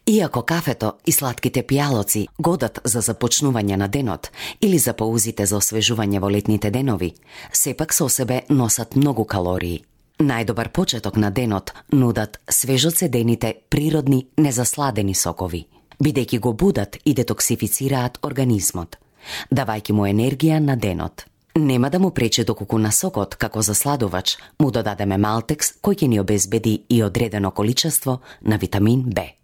Иако кафето и слатките пијалоци годат за започнување на денот или за паузите за освежување во летните денови, сепак со себе носат многу калории. Најдобар почеток на денот нудат свежо цедените, природни, незасладени сокови, бидејќи го будат и детоксифицираат организмот, давајќи му енергија на денот. Нема да му пречи доколку на сокот, како засладувач, му додадеме малтекс кој ќе ни обезбеди и одредено количество на витамин Б.